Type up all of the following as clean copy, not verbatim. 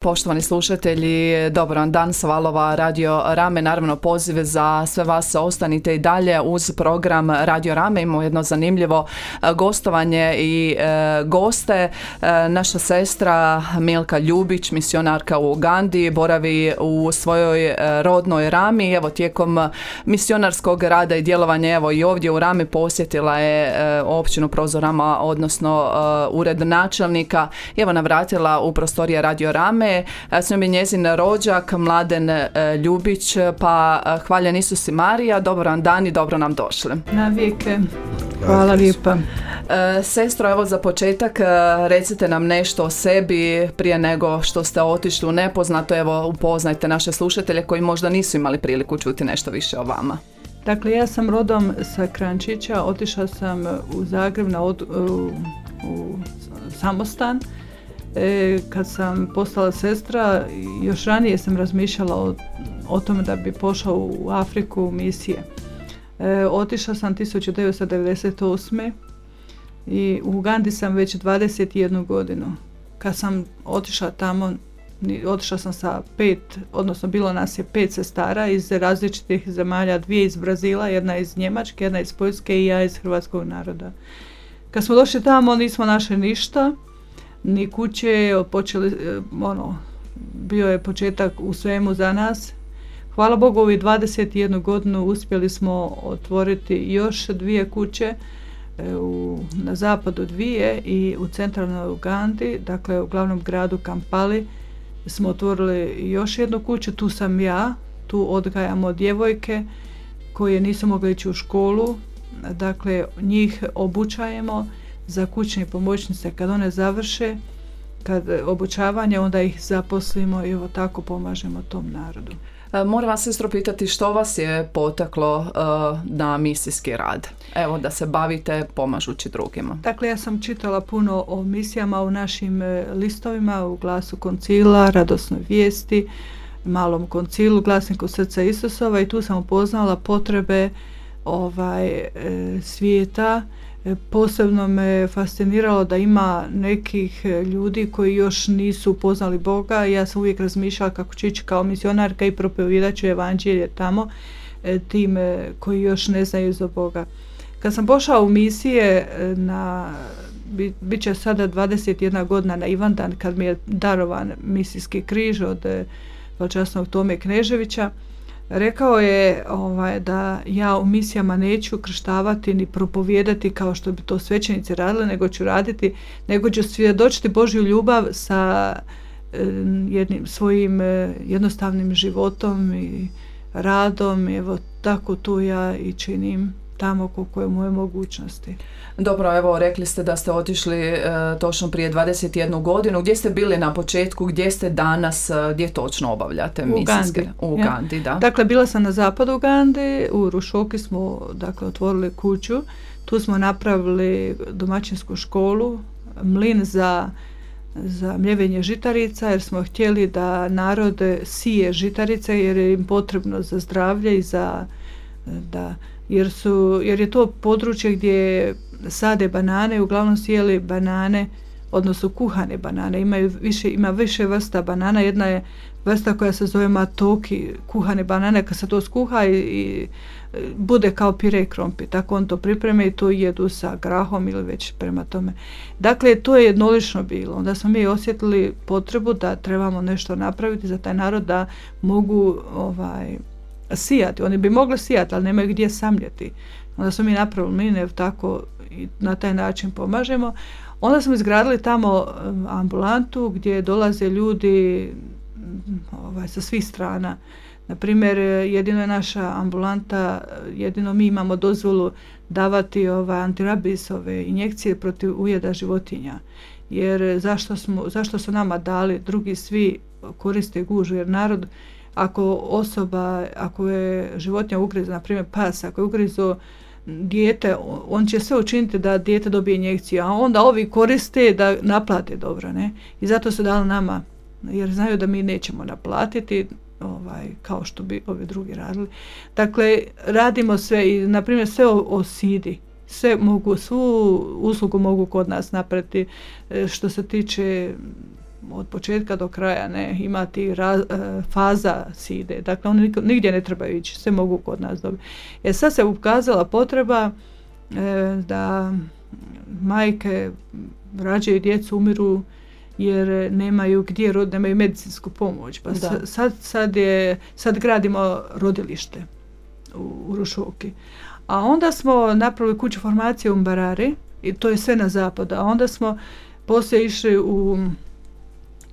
Poštovani slušatelji, dobar vam dan sa valova Radio Rame. Naravno, poziv za sve vas, ostanite i dalje uz program Radio Rame. Imamo jedno zanimljivo gostovanje i goste. Naša sestra Milka Ljubić, misionarka u Ugandi, boravi u svojoj rodnoj Rami. Evo, tijekom misionarskog rada i djelovanja, evo i ovdje u Rami posjetila je općinu Prozorama, odnosno ured načelnika. Evo, navratila u prostorije Radio Rame. S njom je njezin rođak Mladen Ljubić, pa hvaljen Isus i Marija, dobar vam dan i dobro nam došli. Na vijeke. Hvala lijepa. Sestro, evo za početak recite nam nešto o sebi prije nego što ste otišli u nepoznato. Evo, upoznajte naše slušatelje koji možda nisu imali priliku čuti nešto više o vama. Dakle, ja sam rodom sa Krančića, otišla sam u Zagreb u samostan. Kad sam postala sestra, još ranije sam razmišljala o tome da bi pošla u Afriku u misije. Otišla sam 1998. i u Ugandi sam već 21 godinu. Kad sam otišla tamo, otišla sam sa 5, odnosno bilo nas je 5 sestara iz različitih zemalja, 2 iz Brazila, jedna iz Njemačke, jedna iz Poljske i ja iz hrvatskog naroda. Kad smo došli tamo, nismo našli ništa, ni kuće, bio je početak u svemu za nas. Hvala Bogu, ovih 21 godinu uspjeli smo otvoriti još 2 kuće, na zapadu 2 i u centralnoj Ugandi, dakle u glavnom gradu Kampali smo otvorili još jednu kuću. Tu sam ja, tu odgajamo djevojke koje nisu mogle ići u školu, dakle njih obučajemo za kućne pomoćnice. Kad one završe obučavanje, onda ih zaposlimo i evo tako pomažemo tom narodu. Moram vas, sestro, pitati što vas je potaklo na misijski rad? Evo, da se bavite pomažući drugima. Dakle, ja sam čitala puno o misijama u našim listovima, u Glasu Koncila, Radosnoj vijesti, Malom Koncilu, Glasniku Srca Isusova, i tu sam upoznala potrebe svijeta. Posebno me fasciniralo da ima nekih ljudi koji još nisu upoznali Boga. Ja sam uvijek razmišljala kako ću ići kao misionarka i propovijedat ću evanđelje tamo tim koji još ne znaju za Boga. Kad sam pošla u misije, bit će sada 21 godina na Ivandan, kad mi je darovan misijski križ od velčasnog Tome Kneževića, rekao je da ja u misijama neću krštavati ni propovijedati kao što bi to svećenici radili, nego ću svjedočiti Božju ljubav sa jednim svojim jednostavnim životom i radom. Evo tako to ja i činim tamo koliko je moje mogućnosti. Dobro, evo rekli ste da ste otišli točno prije 21 godinu. Gdje ste bili na početku, gdje ste danas, gdje točno obavljate misijske? U Ugandi, da. Dakle, bila sam na zapadu Ugande, u Rušoki smo otvorili kuću. Tu smo napravili domaćinsku školu, mlin za mljevenje žitarica, jer smo htjeli da narod sije žitarice, jer je im potrebno za zdravlje i jer je to područje gdje sade banane, uglavnom sijeli banane, odnosno kuhane banane. Ima više vrsta banana. Jedna je vrsta koja se zove matoki, kuhane banane. Kad se to skuha i bude kao pire krompir, tako on to pripreme i to jedu sa grahom ili već prema tome. Dakle, to je jednolično bilo. Onda smo mi osjetili potrebu da trebamo nešto napraviti za taj narod, da mogu sijati. Oni bi mogli sijati, ali nemaju gdje samljeti. Onda smo mi napravili mline, tako i na taj način pomažemo. Onda smo izgradili tamo ambulantu gdje dolaze ljudi sa svih strana. Naprimjer, jedino je naša ambulanta, jedino mi imamo dozvolu davati antirabisove injekcije protiv ujeda životinja. Jer zašto su nama dali, drugi svi koriste gužu, jer narod, ako je životinja ugriza, na primjer pas, ako je ugrizo dijete, on će sve učiniti da dijete dobije injekciju, a onda ovi koriste da naplate dobro, ne? I zato su dali nama, jer znaju da mi nećemo naplatiti, kao što bi ovi drugi radili. Dakle, radimo sve i, na primjer, sve o sidi. Svu uslugu mogu kod nas napraviti što se tiče od početka do kraja, ne, imati faza se ide. Dakle, oni nigdje ne trebaju ići, sve mogu kod nas dobiti. Sad se ukazala potreba da majke rađaju djecu, umiru jer nemaju gdje roditi, nemaju medicinsku pomoć. Pa sad gradimo rodilište u Rušoki. A onda smo napravili kuću formacije u Mbarari i to je sve na zapadu. A onda smo poslije išli u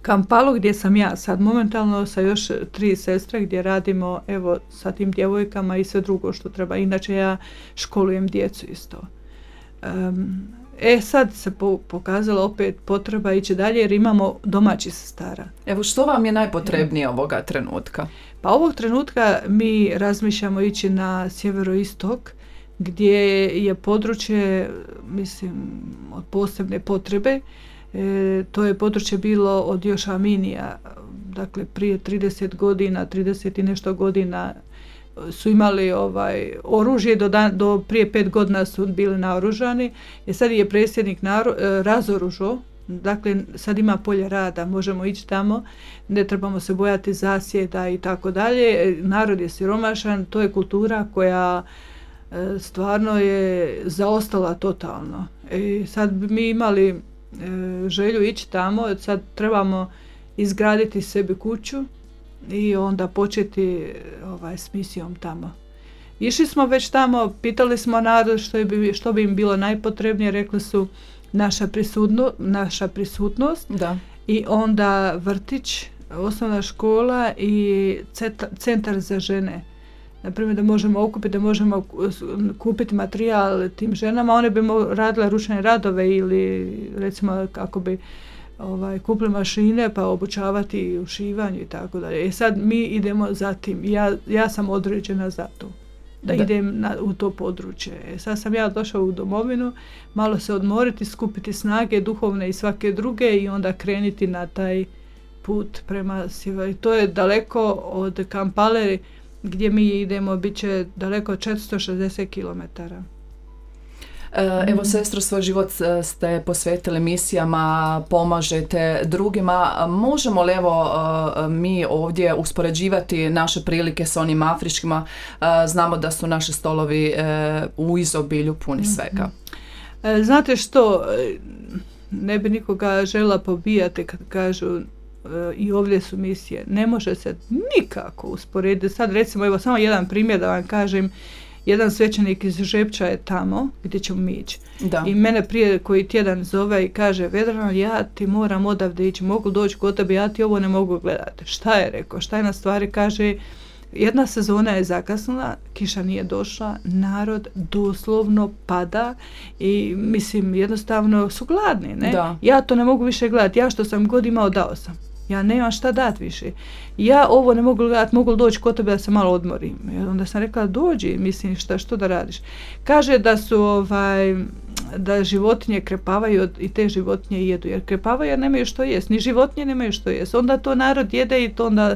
Kampalu gdje sam ja sad momentalno sa još 3 sestre gdje radimo evo sa tim djevojkama i sve drugo što treba. Inače ja školujem djecu isto. Sad se pokazala opet potreba ići dalje jer imamo domaći sestara. Evo što vam je najpotrebnije ovoga trenutka? Pa ovog trenutka mi razmišljamo ići na sjeveroistok gdje je područje, mislim, od posebne potrebe. To je područje bilo od još Aminija, dakle prije 30 i nešto godina su imali oružje, do prije 5 godina su bili naoružani i sad je predsjednik razoružao, dakle sad ima polje rada, možemo ići tamo, ne trebamo se bojati zasjeda i tako dalje, narod je siromašan, to je kultura koja stvarno je zaostala totalno. Sad bi mi imali želju ići tamo, sad trebamo izgraditi sebi kuću i onda početi s misijom tamo. Išli smo već tamo, pitali smo narod što bi im bilo najpotrebnije, rekli su naša prisutnost da. I onda vrtić, osnovna škola i centar za žene. Naprimjer da možemo okupiti, da možemo kupiti materijal tim ženama, one bi radile ručne radove ili recimo kako bi kupili mašine pa obučavati u šivanju i tako dalje. Sad mi idemo za tim. Ja sam određena za to. Da idem u to područje. Sad sam ja došla u domovinu, malo se odmoriti, skupiti snage duhovne i svake druge i onda krenuti na taj put prema sjeveru. To je daleko od Kampale gdje mi idemo, bit će daleko 460 km. Evo, sestro, svoj život ste posvetili misijama, pomažete drugima. Možemo li mi ovdje uspoređivati naše prilike s onim afričkima? Znamo da su naši stolovi u izobilju puni svega. Znate što, ne bi nikoga žela pobijati kad kažu i ovdje su misije. Ne može se nikako usporediti. Sad recimo, evo samo jedan primjer da vam kažem. Jedan svećenik iz Žepča je tamo gdje ćemo mi ići. I mene prije koji tjedan zove i kaže: Vedrana, ja ti moram odavde ići, mogu doći kod tebe, ja ti ovo ne mogu gledati. Šta je rekao? Šta je na stvari? Kaže, jedna sezona je zakasnila, kiša nije došla, narod doslovno pada i mislim jednostavno su gladni. Ne? Ja to ne mogu više gledati. Ja što sam god imao dao sam. Ja nemam šta dati više. Ja ovo ne mogu gledati, mogu doći kod tebe da se malo odmorim. I onda sam rekla, dođi, mislim, što da radiš. Kaže da su da životinje krepavaju i te životinje jedu. Jer krepavaju jer nemaju što jest. Ni životinje nemaju što jest. Onda to narod jede i to onda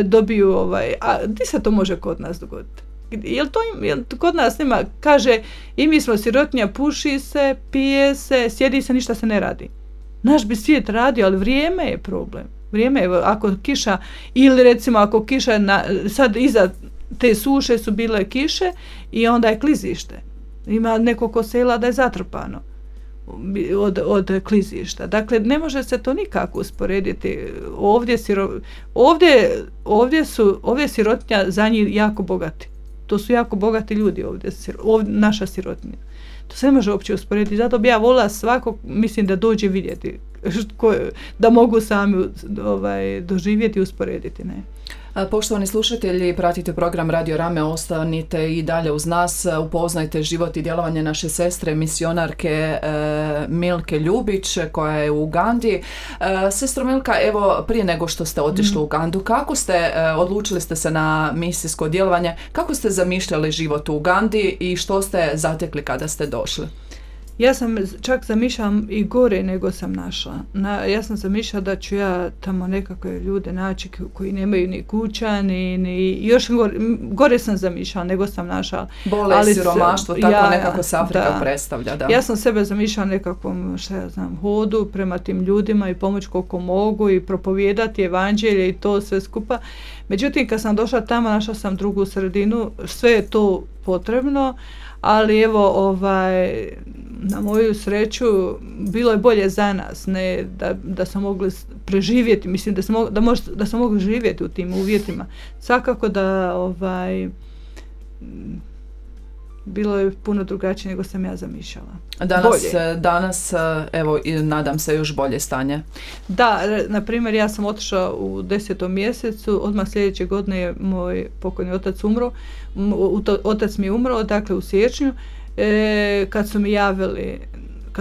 dobiju A gdje se to može kod nas dogoditi? Jel kod nas nema? Kaže, i mi smo sirotinja, puši se, pije se, sjedi se, ništa se ne radi. Naš bi svijet radio, ali vrijeme je problem. Vrijeme je, ako kiša, ili recimo ako kiša, sad iza te suše su bile kiše i onda je klizište. Ima nekoliko sela da je zatrpano od klizišta. Dakle, ne može se to nikako usporediti. Ovdje sirotinja za njih jako bogati. To su jako bogati ljudi ovdje naša sirotinja. To se ne može uopće usporediti. Zato bi ja volila svakog, mislim, da dođe vidjeti, da mogu sami doživjeti i usporediti. Ne? Poštovani slušatelji, pratite program Radio Rame, ostanite i dalje uz nas, upoznajte život i djelovanje naše sestre, misionarke Milke Ljubić, koja je u Ugandi. Sestro Milka, evo, prije nego što ste otišli u Ugandu, kako ste, odlučili ste se na misijsko djelovanje, kako ste zamišljali život u Ugandi i što ste zatekli kada ste došli? Ja sam čak zamišljala i gore nego sam našla. Ja sam zamišljala da ću ja tamo nekakve ljude naći koji nemaju ni kuća, ni još gore sam zamišljala nego sam našla. Bolest, siromaštvo, tako nekako se Afrika predstavlja. Da. Ja sam sebe zamišljala nekakvom, hodu prema tim ljudima i pomoć koliko mogu i propovijedati evanđelje i to sve skupa. Međutim, kad sam došla tamo, našla sam drugu sredinu, sve je to potrebno, ali evo, na moju sreću, bilo je bolje za nas, ne da smo mogli preživjeti, mislim da smo mogli živjeti u tim uvjetima. Svakako da bilo je puno drugačije nego sam ja zamišljala. Danas, evo, nadam se još bolje stanje. Da, na primjer, ja sam otišla u 10. mjesecu, odmah sljedeće godine je moj pokojni otac umro, otac mi je umro, dakle u siječnju, kad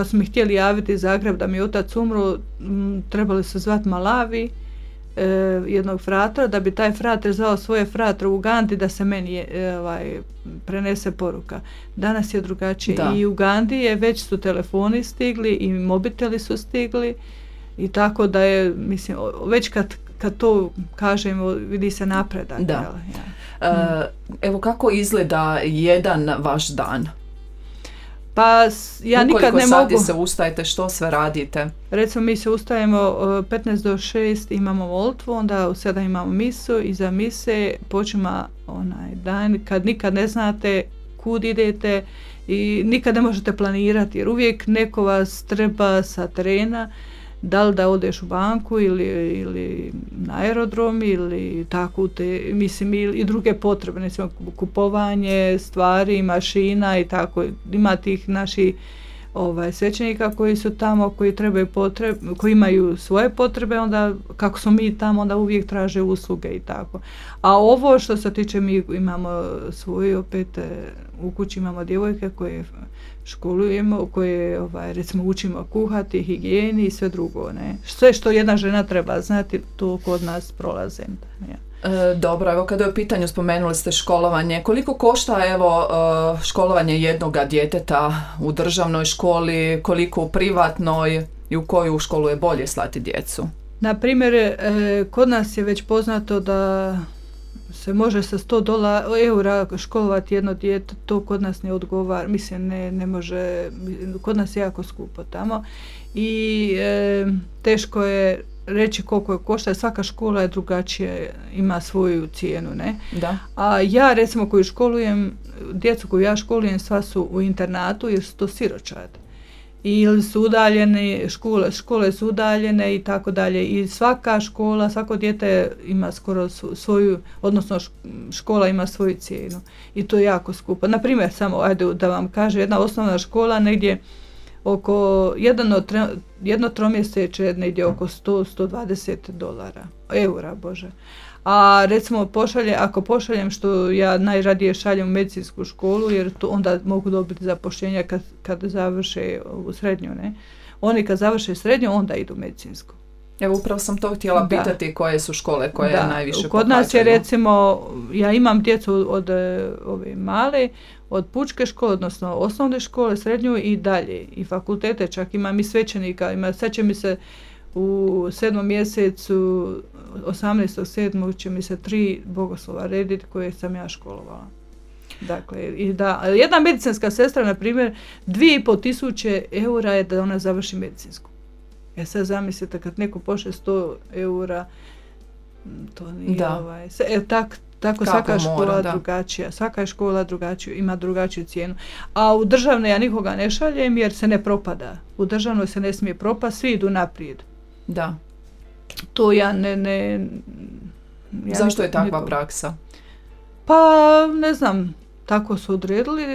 su mi htjeli javiti iz Zagreb da mi je otac umro, trebali su zvati Malavi, jednog fratra, da bi taj frater zvao svoje fratre u Ugandi da se meni prenese poruka. Danas je drugačije. Da. I u Ugandi već su telefoni stigli i mobiteli su stigli i tako da je, mislim, već kad to kažemo, vidi se napredak. Da. Evo kako izgleda jedan vaš dan? Pa ja nikad ne mogu... Ukoliko sati se ustajete, što sve radite? Recimo mi se ustajemo 15 do 6, imamo molitvu, onda u 7 imamo misu, iza mise počima onaj dan kad nikad ne znate kud idete i nikad ne možete planirati jer uvijek neko vas treba sa terena, da li da odeš u banku ili na aerodrom ili tako mislim i druge potrebe, recimo kupovanje stvari, mašina i tako, ima tih naših svećenika koji su tamo, koji imaju svoje potrebe, onda kako smo mi tamo, onda uvijek traže usluge i tako. A ovo što se tiče, mi imamo svoje, opet u kući imamo djevojke koje školujemo, koje recimo učimo kuhati, higijeni i sve drugo. Ne? Sve što jedna žena treba znati, to kod nas prolaze. Ja. Dobro, evo kada je u pitanju, spomenuli ste školovanje, koliko košta školovanje jednoga djeteta u državnoj školi, koliko u privatnoj i u koju školu je bolje slati djecu? Na primjer, kod nas je već poznato da se može sa €100 školovati jedno dijete, to kod nas ne odgovara, mislim ne može, kod nas je jako skupo tamo i teško je reći koliko je košta, svaka škola je drugačije, ima svoju cijenu, ne? Da. A ja recimo koju školujem, djecu koju ja školujem sva su u internatu jer su to siročad. Ili su udaljene, škole su udaljene i tako dalje. I svaka škola, svako dijete ima skoro svoju, odnosno škola ima svoju cijenu. I to je jako skupo. Naprimjer, samo ajde da vam kaže, jedna osnovna škola negdje oko jedno tromjeseče negdje oko $100-120, eura, bože. A recimo ako pošaljem, što ja najradije šaljem u medicinsku školu, jer to onda mogu dobiti zapošljenja kad završe u srednju, ne? Oni kad završe srednju, onda idu u medicinsku. Evo upravo sam to htjela pitati koje su škole koje najviše pohađaju. Kod nas je recimo, ja imam djecu od ove male, od pučke škole, odnosno osnovne škole, srednju i dalje. I fakultete, čak imam i svećenika. Sad će mi se u 7. mjesecu, 18.7. će mi se 3 bogoslova rediti koje sam ja školovala. Dakle, jedna medicinska sestra, na primjer, 2.500 eura je da ona završi medicinsku. Sad zamislite kad neko pošle €100, to nije tako svaka škola drugačija. Svaka je škola drugačija, ima drugačiju cijenu. A u državne ja nikoga ne šaljem jer se ne propada. U državnoj se ne smije propast, svi idu naprijed. Da. To ja Zašto je takva praksa? Pa ne znam, tako su odredili,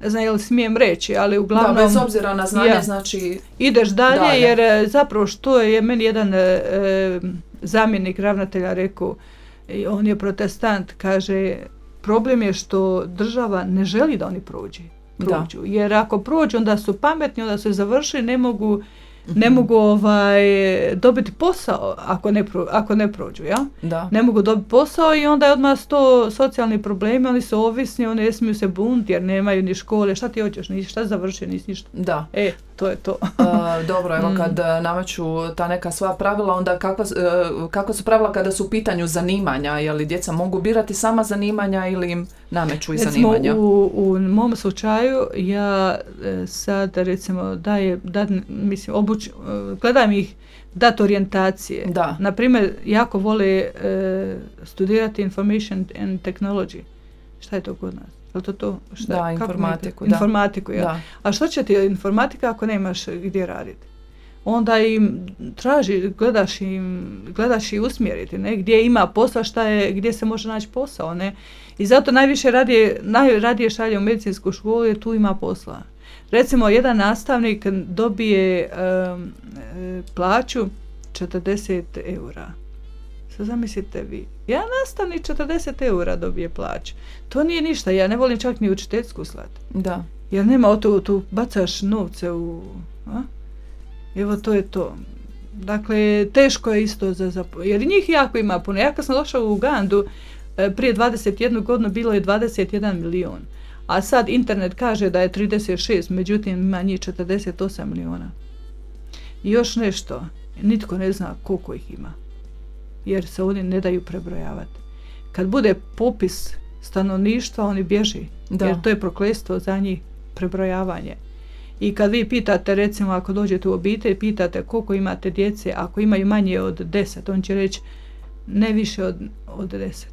ne znam je li smijem reći, ali uglavnom... Da, bez obzira na znanje, znači... Ideš dalje, jer zapravo što je meni jedan zamjenik ravnatelja rekao, on je protestant, kaže, problem je što država ne želi da oni prođu. Jer ako prođu, onda su pametni, onda su završili, ne mogu ne mogu dobiti posao ako ne prođu, ja? Da. Ne mogu dobiti posao i onda je odmah to socijalni problemi, oni su ovisni, oni ne smiju se bunti jer nemaju ni škole, šta ti hoćeš, šta završio, nisi ništa. Da. To je to. Dobro, evo kad nameću ta neka svoja pravila, onda kakva su pravila kada su u pitanju zanimanja, je li djeca mogu birati sama zanimanja ili im nameću i zanimanja? U mom slučaju ja sad recimo gledam ih dat orijentacije. Da. Naprimjer, jako vole studirati information and technology. Šta je to kod nas? Je to? Šta? Da, informatiku. Informatiku, ja. Da. A što će ti informatika ako nemaš gdje raditi? Onda im traži, gledaš i usmjeriti, ne? Gdje ima posla, gdje se može naći posao, ne? I zato najradije šalje u medicinsku školu jer tu ima posla. Recimo, jedan nastavnik dobije plaću 40 eura. Sad zamislite vi, jedan nastavnik 40 eura dobije plaću. To nije ništa, ja ne volim čak ni učiteljsku slati. Da. Jer nema tu bacaš novce u... Evo, to je to. Dakle, teško je isto jer njih jako ima puno. Ja kad sam došla u Ugandu, prije 21 godinu bilo je 21 milion. A sad internet kaže da je 36, međutim ima njih 48 miliona. I još nešto, nitko ne zna koliko ih ima. Jer se oni ne daju prebrojavati. Kad bude popis stanovništva, oni bježi. Da. Jer to je prokletstvo za njih, prebrojavanje. I kad vi pitate, recimo ako dođete u obitelj, pitate koliko imate djece, ako imaju manje od 10, on će reći ne više od 10.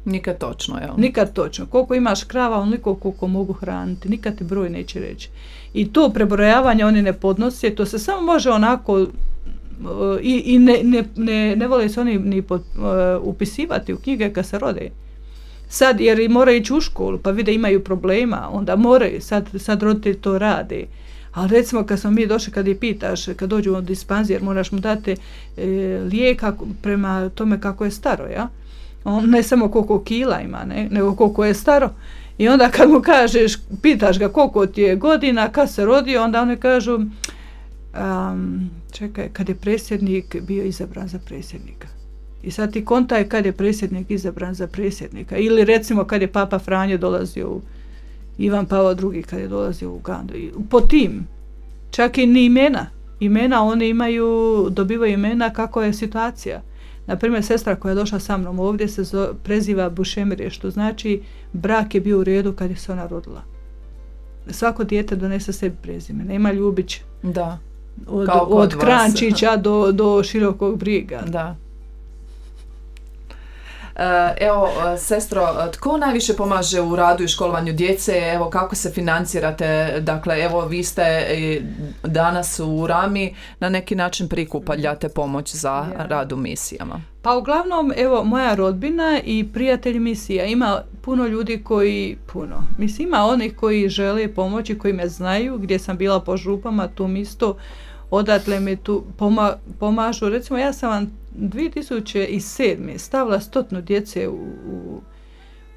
Nikad točno, jel? Nikad točno. Koliko imaš krava, onoliko koliko mogu hraniti. Nikad ti broj neće reći. I to prebrojavanje oni ne podnose, to se samo može onako i ne vole se oni ni upisivati u knjige kad se rode. Sad, jer moraju ići u školu, pa vide imaju problema, onda moraju, sad roditelji to rade. Ali recimo kad smo mi došli, kad je pitaš, kad dođu u dispanzir, moraš mu dati lijek prema tome kako je staro, ja? On ne samo koliko kila ima, nego koliko je staro. I onda kad mu kažeš, pitaš ga koliko ti je godina, kad se rodio, onda oni kažu, čekaj, kad je predsjednik bio izabran za predsjednika. I sad ti kontaj kad je predsjednik izabran za predsjednika. Ili recimo kad je Papa Franjo dolazio Ivan Pavao II kad je dolazio u Ugandu. Po tim, čak i ni imena oni dobivaju imena kako je situacija. Naprimjer, sestra koja je došla sa mnom ovdje se preziva Bušemire, što znači brak je bio u redu kad je se ona rodila. Svako dijete donese sebi prezime, nema Ljubić. Da. Od Krančića do Širokog Briga. Da. Evo, sestro, tko najviše pomaže u radu i školovanju djece? Evo, kako se financirate? Dakle, evo, vi ste danas u Rami na neki način prikupljate pomoć za rad u misijama. Pa uglavnom, evo, moja rodbina i prijatelji misija. Ima puno ljudi ima onih koji žele pomoći, koji me znaju, gdje sam bila po župama, tu isto, odatle mi tu pomažu. Recimo, ja sam vam 2007. stavila 100 djece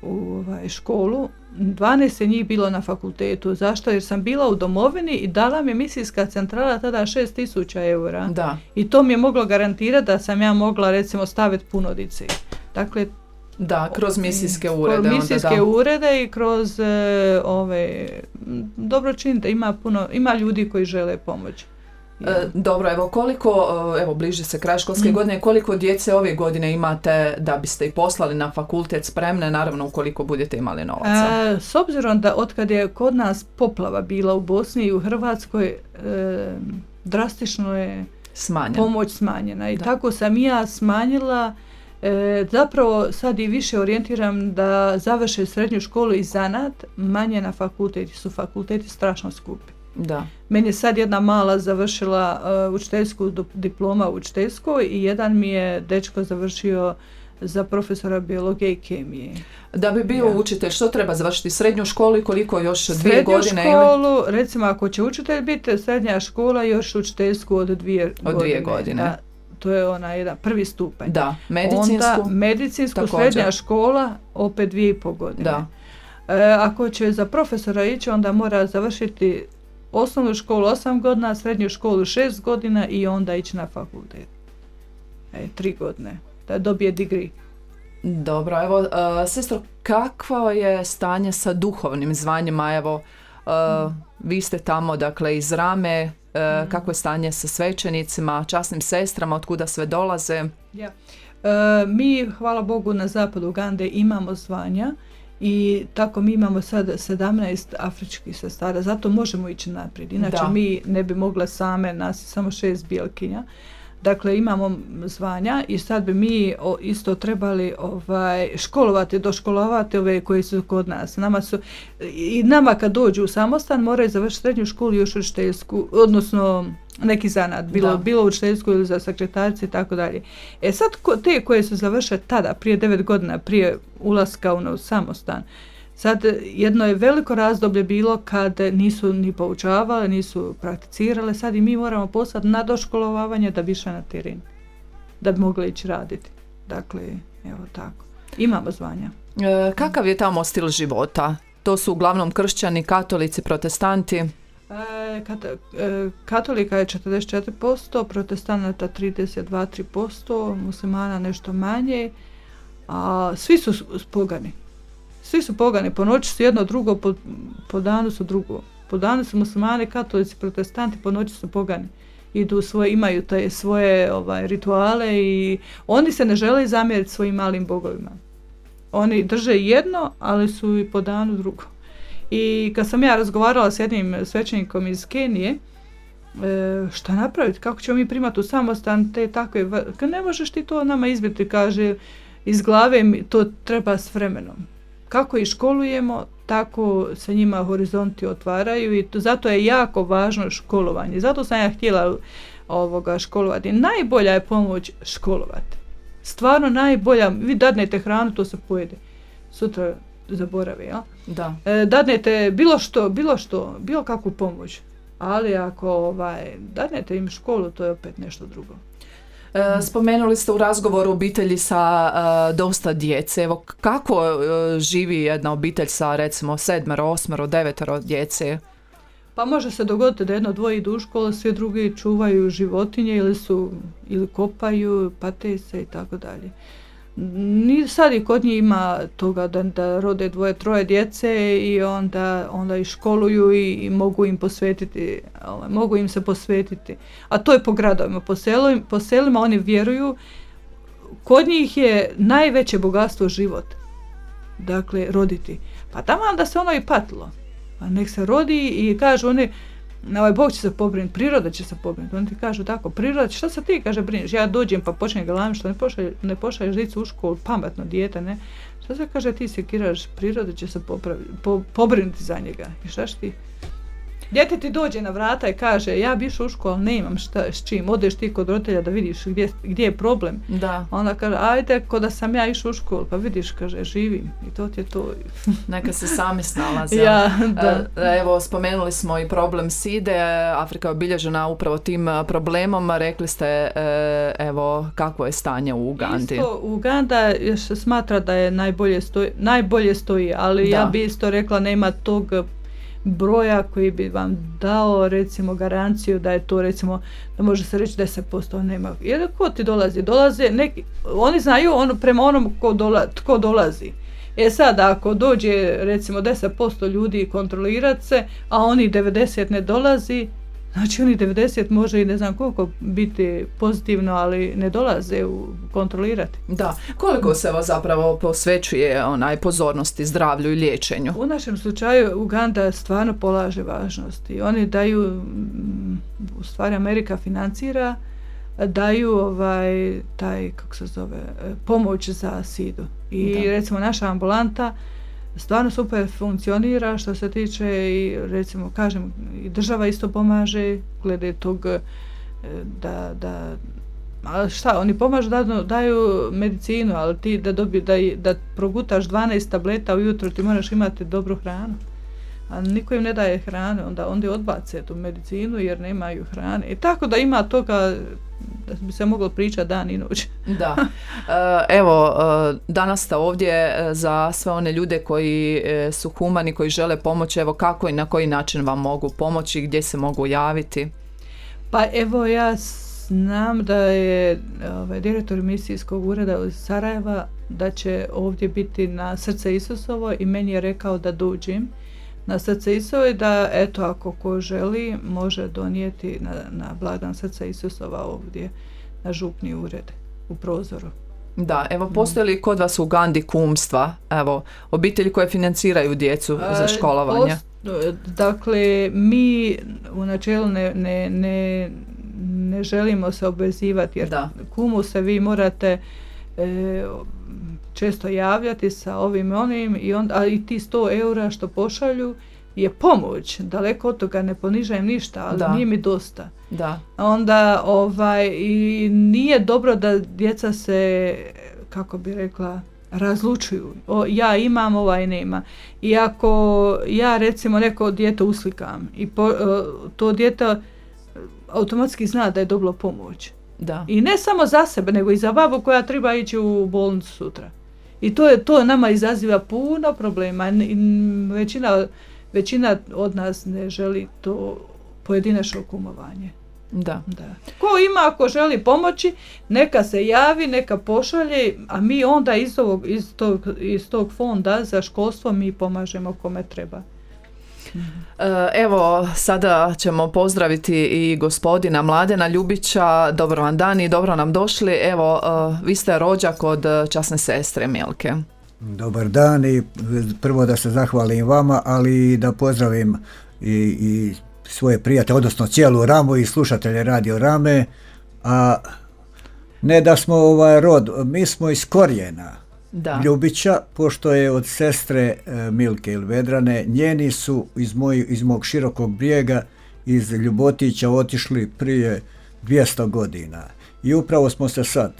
u školu, 12 je njih bilo na fakultetu. Zašto? Jer sam bila u domovini i dala mi misijska centrala tada 6.000 eura. Da. I to mi je moglo garantirati da sam ja mogla recimo staviti puno dice. Dakle, da, kroz misijske urede. Kroz misijske urede i kroz dobročinite. Ima ljudi koji žele pomoći. Dobro, evo bliži se kraj školske godine, koliko djece ove godine imate da biste ih poslali na fakultet spremne, naravno ukoliko budete imali novaca? S obzirom da otkad je kod nas poplava bila u Bosni i u Hrvatskoj, drastično je pomoć smanjena. I tako sam i ja smanjila, zapravo sad i više orijentiram da završe srednju školu i zanat, manje na fakulteti, su fakulteti strašno skupi. Da. Meni je sad jedna mala završila učiteljsku diploma u učiteljskoj i jedan mi je dečko završio za profesora biologije i kemije. Da bi bio učitelj, što treba završiti? Srednju školu i koliko još 2 godine? Srednju školu, recimo ako će učitelj biti, srednja škola još učiteljsku od 2 godine. Da, to je jedan prvi stupanj. Da, medicinsku. Onda medicinsku, srednja škola, opet 2,5 godine. Da. Ako će za profesora ići, onda mora završiti osnovnu školu 8 godina, srednju školu 6 godina i onda ići na fakultet. 3 godine, da dobije degree. Dobro, evo, sestro, kakvo je stanje sa duhovnim zvanjima? Evo, vi ste tamo, dakle, iz Rame, kako je stanje sa svećenicima, časnim sestrama, otkuda sve dolaze? Ja. Mi, hvala Bogu, na zapadu Ugande imamo zvanja i tako mi imamo sad 17 afričkih sestara, zato možemo ići naprijed. Inače, mi ne bi mogla same, nas samo 6 bijelkinja. Dakle, imamo zvanja i sad bi mi isto trebali doškolovati ove koji su kod nas. Nama kad dođu u samostan moraju završiti srednju školu i još učiteljsku, odnosno neki zanat, bilo učiteljsku ili za sekretarice i tako dalje. Sad te koje su završile tada, prije 9 godina, prije ulaska u samostan, sad jedno je veliko razdoblje bilo kad nisu ni poučavale, nisu prakticirale, sad i mi moramo poslati na doškolovavanje da bi išli na teren, da bi mogli ići raditi. Dakle, evo tako. Imamo zvanja. Kakav je tamo stil života? To su uglavnom kršćani, katolici, protestanti? Katolika je 44%, protestanata 32-3%, muslimana nešto manje, a svi su pogani. Svi su pogani, po noći su jedno drugo, po danu su drugo. Po danu su muslimani, katolici, protestanti, po noći su pogani. Imaju te svoje rituale i oni se ne žele zamjeriti svojim malim bogovima. Oni drže jedno, ali su i po danu drugo. I kad sam ja razgovarala s jednim svećenikom iz Kenije, šta napraviti, kako ćemo mi primati u samostan te takve, ne možeš ti to nama izbiti, kaže, iz glave, to treba s vremenom. Kako ih školujemo, tako se njima horizonti otvaraju i zato je jako važno školovanje. Zato sam ja htjela školovati. Najbolja je pomoć školovati. Stvarno najbolja, vi dadnete hranu, to se pojede. Sutra zaboravi, ja? Da. Dadnete bilo kakvu pomoć. Ali ako dadnete im školu, to je opet nešto drugo. Spomenuli ste u razgovoru obitelji sa dosta djece. Evo, kako živi jedna obitelj sa recimo 7, 8, 9 djece? Pa može se dogoditi da jedno dvoje idu u školu, svi drugi čuvaju životinje ili kopaju, pate se i tako dalje. Sad i kod njih ima toga da rode 2, 3 djece i onda ih školuju i mogu im se posvetiti. A to je po gradovima, po selima oni vjeruju, kod njih je najveće bogatstvo život. Dakle, roditi. Pa tamo da se ono i patilo. Pa nek se rodi i kažu oni, Bog će se pobrinuti, priroda će se pobrinuti. Oni ti kažu tako, priroda, šta se ti, kaže, brineš? Ja dođem pa počnem galamiti, što ne pošalješ dicu u školu, pametno dijete, ne? Šta se kaže, ti se kiraš, priroda će se pobrinuti za njega. I šta ti? Dijete ti dođe na vrata i kaže, ja bi išao u školu, ne imam s čim, odeš ti kod roditelja da vidiš gdje je problem. Da. Onda kaže, ajde, ko da sam ja išao u školu, pa vidiš, kaže, živim i to ti je to. Neka se sami snalaze. Ja, da. Evo, spomenuli smo i problem side, Afrika je obilježena upravo tim problemom, rekli ste, evo, kakvo je stanje u Ugandi. Isto, Uganda se smatra da je najbolje stoji, ali ja bi isto rekla, nema tog broja koji bi vam dao recimo garanciju da je to recimo, da može se reći 10%, nema. Jer ko ti dolaze neki, oni znaju prema onom tko dolazi. Sad ako dođe recimo 10% ljudi kontrolirati se, a oni 90 ne dolazi, znači oni 90 može i ne znam koliko biti pozitivno, ali ne dolaze kontrolirati. Da, koliko se zapravo posvećuje pozornosti zdravlju i liječenju? U našem slučaju Uganda stvarno polaže važnosti. Oni daju, u stvari Amerika financira, daju pomoć za sidu. I recimo naša ambulanta stvarno super funkcionira što se tiče i recimo kažem i država isto pomaže glede tog ali šta, oni pomažu, daju medicinu, ali ti da progutaš 12 tableta ujutro ti moraš imati dobru hranu. a niko im ne daje hrane, onda odbace tu medicinu jer nemaju hrane. I tako da ima toga da bi se moglo pričati dan i noć. Da. Evo, danas ste ovdje za sve one ljude koji su humani, koji žele pomoći. Evo, kako i na koji način vam mogu pomoći, gdje se mogu javiti? Pa evo, ja znam da je direktor misijskog ureda iz Sarajeva da će ovdje biti na Srce Isusovo i meni je rekao da dođem na Srce Isusovo i da eto ako ko želi može donijeti na blagdan Srca Isusova ovdje na župni ured u prozoru. Da, evo postoji li kod vas u Ugandi kumstva, evo obitelji koje financiraju djecu za školovanje? Dakle, mi u načelu ne želimo se obvezivati jer kumu se vi morate često javljati sa ovim i onim a i ti 100 eura što pošalju je pomoć, daleko od toga ne ponižajem ništa, ali nije mi dosta. Da. Onda i nije dobro da djeca se, kako bi rekla, razlučuju. Ja imam, ovaj nema. I ako ja recimo neko dijete uslikam i to dijete automatski zna da je dobilo pomoć. Da. I ne samo za sebe, nego i za babu koja treba ići u bolnicu sutra. I to nama izaziva puno problema. Većina od nas ne želi to pojedinačno kumovanje. Da. Ko ima, ako želi pomoći, neka se javi, neka pošalje, a mi onda iz tog fonda za školstvo mi pomažemo kome treba. Evo, sada ćemo pozdraviti i gospodina Mladena Ljubića. Dobro vam dan i dobro nam došli. Evo, vi ste rođak od časne sestre Milke. Dobar dan i prvo da se zahvalim vama, ali da pozdravim i svoje prijatelje, odnosno cijelu Ramu i slušatelje Radio Rame, a ne da smo rod, mi smo iz korijena Ljubića, pošto je od sestre Milke ili Vedrane, njeni su iz mog Širokog Brijega, iz Ljubotića otišli prije 200 godina i upravo smo se sad.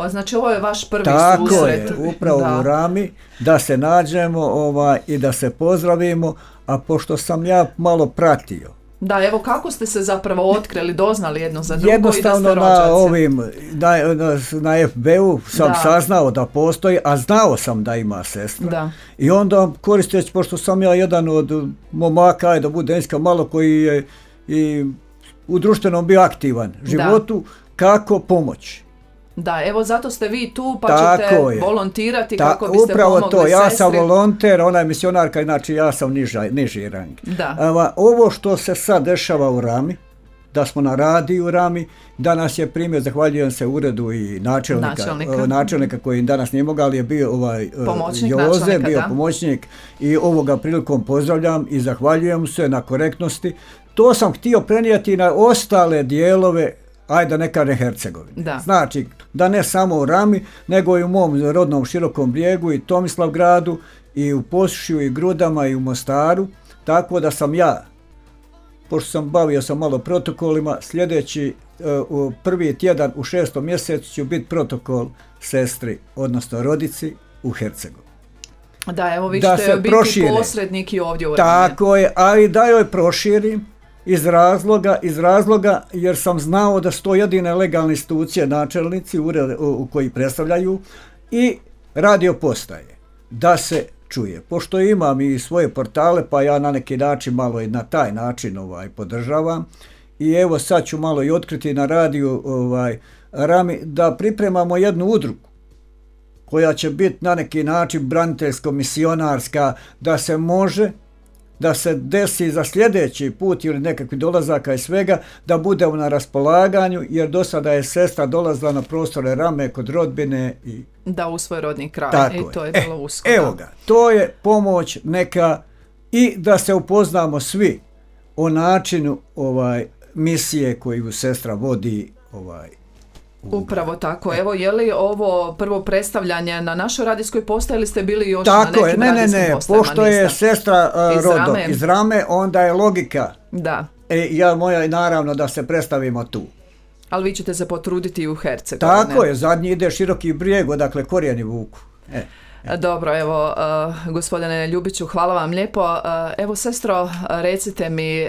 Znači ovo je vaš prvi susret. Tako je, upravo u Rami, da se nađemo i da se pozdravimo, a pošto sam ja malo pratio. Da, evo kako ste se zapravo otkrili, doznali jedno za drugo jednostavno i da ste rođaci? Na FB-u sam saznao da postoji, a znao sam da ima sestra. Da. I onda koristeći, pošto sam ja jedan od momaka, da bude iskren, malo koji je i u društvenom bio aktivan životu, kako pomoći. Da, evo zato ste vi tu pa ćete volontirati kako biste upravo pomogli to, ja sestri. sam volonter, ona je misionarka, znači ja sam niži rang. Ovo što se sad dešava u Rami, da smo na radiju u Rami, danas je primjer, zahvaljujem se uredu i načelnika koji danas nije mogao, ali je bio Joze, bio pomoćnik i ovoga prilikom pozdravljam i zahvaljujem se na korektnosti. To sam htio prenijeti na ostale dijelove, ajde ne kažem Hercegovine. Znači, da ne samo u Rami, nego i u mom rodnom Širokom Brijegu i Tomislavgradu i u Posušju i Grudama i u Mostaru, tako da sam ja, pošto sam bavio sam malo protokolima, sljedeći prvi tjedan u 6. mjesecu ću biti protokol sestri, odnosno rodici u Hercegovini. Da, evo vi ćete biti posrednik i ovdje u Rami. Tako je, ali da joj proširim, iz razloga jer sam znao da su to jedine legalne institucije, načelnici u koji predstavljaju i radio postaje, da se čuje. Pošto imam i svoje portale, pa ja na neki način malo i na taj način podržavam i evo sad ću malo i otkriti na radiju Rami da pripremamo jednu udrugu koja će biti na neki način braniteljsko-misionarska, da se može da se desi za sljedeći put ili nekakvi dolazaka i svega, da budemo na raspolaganju, jer do sada je sestra dolazila na prostore Rame kod rodbine. Da, u svoj rodni kraj. Tako i to je bilo usko. Evo ga, to je pomoć neka i da se upoznamo svi o načinu misije koju sestra vodi Upravo tako. Evo, je li ovo prvo predstavljanje na našoj radijskoj postaji ili ste bili još na nekim radijskim postajama? Pošto je sestra rodom iz Rame, onda je logika. Da. Moja naravno da se predstavimo tu. Ali vi ćete se potruditi i u Hercegovini. Tako je, zadnji ide Široki Brijeg, odakle korijeni vuku. Dobro, evo, gospodine Ljubiću, hvala vam lijepo. Evo, sestro, recite mi,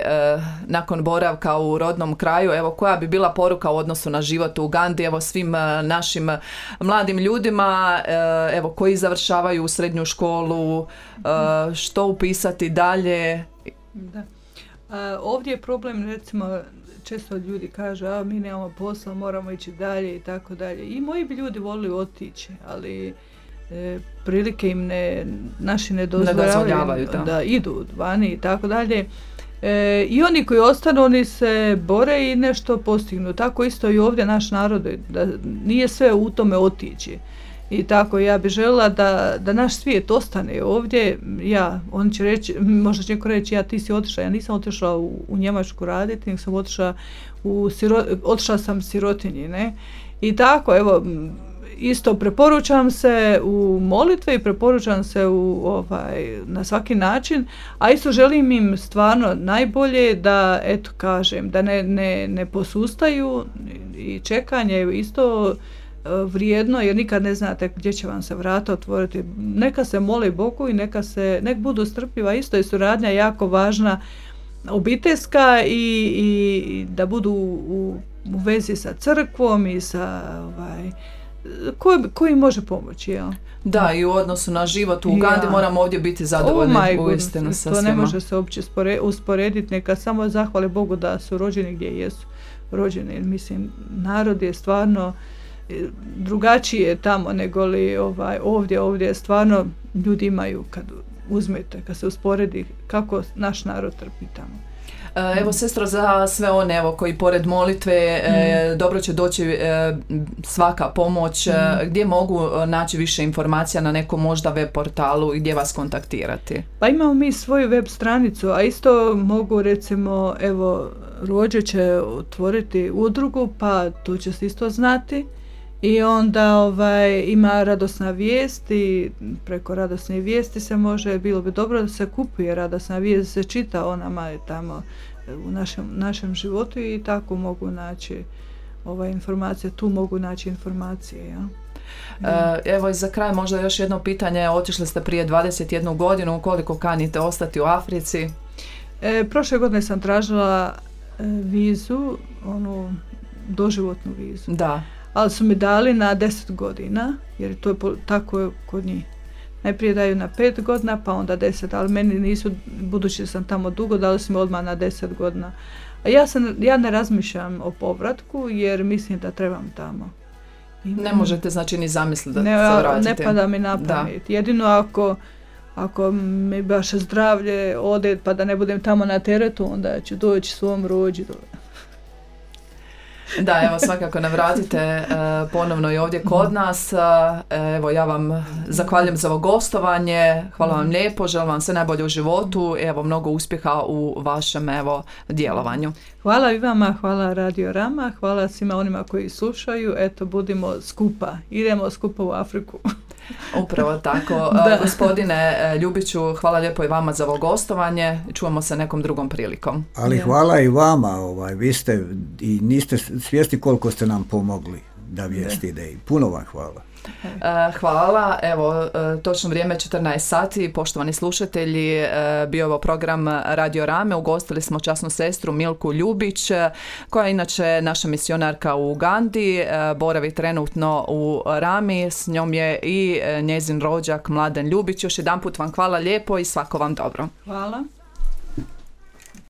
nakon boravka u rodnom kraju, evo, koja bi bila poruka u odnosu na život u Ugandi, evo, svim našim mladim ljudima, evo, koji završavaju srednju školu, što upisati dalje? Da. Ovdje je problem, recimo, često ljudi kažu, mi nemamo posla, moramo ići dalje i tako dalje. I moji bi ljudi volili otići, ali prilike im naši ne dozvoljavaju da idu vani i tako dalje. I oni koji ostanu, oni se bore i nešto postignu. Tako isto i ovdje naš narod, da nije sve u tome otići. I tako ja bih željela da naš svijet ostane ovdje. On će reći, možda će neko reći, ti si otišla. Ja nisam otišla u Njemačku raditi, nego sam otišla sam sirotinji, ne? I tako, evo, isto preporučam se u molitve i preporučam se na svaki način, a isto želim im stvarno najbolje da, eto kažem, da ne posustaju i čekanje je isto vrijedno, jer nikad ne znate gdje će vam se vrata otvoriti. Neka se moli Bogu i nek budu strpljiva, isto je suradnja jako važna, obiteljska i da budu u vezi sa crkvom i sa koji može pomoći, jel? Da, i u odnosu na život u Ugandi moramo ovdje biti zadovoljni uistinu sa svima. To ne može se uopće usporediti, neka samo zahvale Bogu da su rođeni gdje jesu rođeni. Mislim, narod je stvarno drugačije tamo nego li ovdje stvarno ljudi imaju, kad se usporedi kako naš narod trpi tamo. Evo, sestro, za sve one koji pored molitve dobro će doći svaka pomoć, gdje mogu naći više informacija na nekom možda web portalu i gdje vas kontaktirati? Pa imamo mi svoju web stranicu, a isto mogu, recimo, evo, Rođe će otvoriti udrugu, pa tu će se isto znati. I onda ima radosna vijest i preko radosne vijesti se može, bilo bi dobro da se kupuje radosna vijest, se čita o nama tamo u našem životu i tako mogu naći informacije, tu mogu naći informacije. Ja? Evo i za kraj možda još jedno pitanje, otišli ste prije 21 godinu, koliko kanite ostati u Africi? Prošle godine sam tražila vizu, doživotnu vizu. Da. Ali su mi dali na 10 godina, jer to je tako kod njih. Najprije daju na 5 godina, pa onda 10, ali meni nisu, budući da sam tamo dugo, dali su mi odmah na 10 godina. A ja ne razmišljam o povratku, jer mislim da trebam tamo. Ne možete znači ni zamisliti da se vratite. Ne pada mi na pamet. Jedino ako mi baš zdravlje ode, pa da ne budem tamo na teretu, onda ću doći svom rođi. Da, evo, svakako navratite ponovno i ovdje kod nas. Evo, ja vam zahvaljujem za ovo gostovanje, hvala vam lijepo, želim vam sve najbolje u životu, evo, mnogo uspjeha u vašem, djelovanju. Hvala i vama, hvala Radio Rama, hvala svima onima koji slušaju, eto, budimo skupa, idemo skupa u Afriku. Upravo tako. Gospodine Ljubiću, hvala lijepo i vama za ovo gostovanje. Čujemo se nekom drugom prilikom. Ali hvala i vama. Vi ste i niste svjesni koliko ste nam pomogli da vijest ide. Puno vam hvala. Hvala. Evo, točno vrijeme 14 sati. Poštovani slušatelji, bio ovo program Radio Rame. Ugostili smo časnu sestru Milku Ljubić, koja je inače naša misionarka u Ugandi, boravi trenutno u Rami. S njom je i njezin rođak Mladen Ljubić. Još jedanput vam hvala lijepo i svako vam dobro. Hvala.